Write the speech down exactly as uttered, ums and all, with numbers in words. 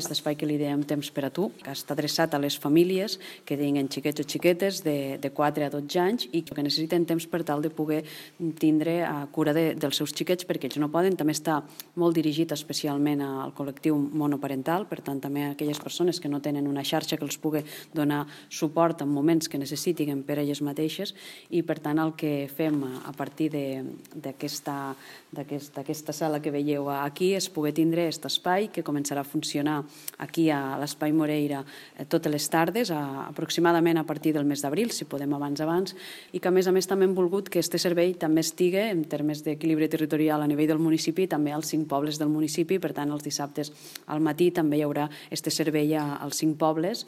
Aquest espai que li diem Temps per a tu, que està adreçat a les famílies que tinguen xiquets o xiquetes de, de quatre a dotze anys i que necessiten temps per tal de poder tindre cura de, dels seus xiquets perquè ells no poden. També està molt dirigit especialment al col·lectiu monoparental, per tant també a aquelles persones que no tenen una xarxa que els pugui donar suport en moments que necessitin per elles mateixes, i per tant el que fem a partir d'aquesta d'aquesta sala que veieu aquí és poder tindre aquest espai que començarà a funcionar aquí a l'Espai Moreira totes les tardes, aproximadament a partir del mes d'abril, si podem abans abans, i que a més a més també hem volgut que aquest servei també estigui en termes d'equilibri territorial a nivell del municipi, també als cinc pobles del municipi. Per tant, els dissabtes al matí també hi haurà aquest servei als cinc pobles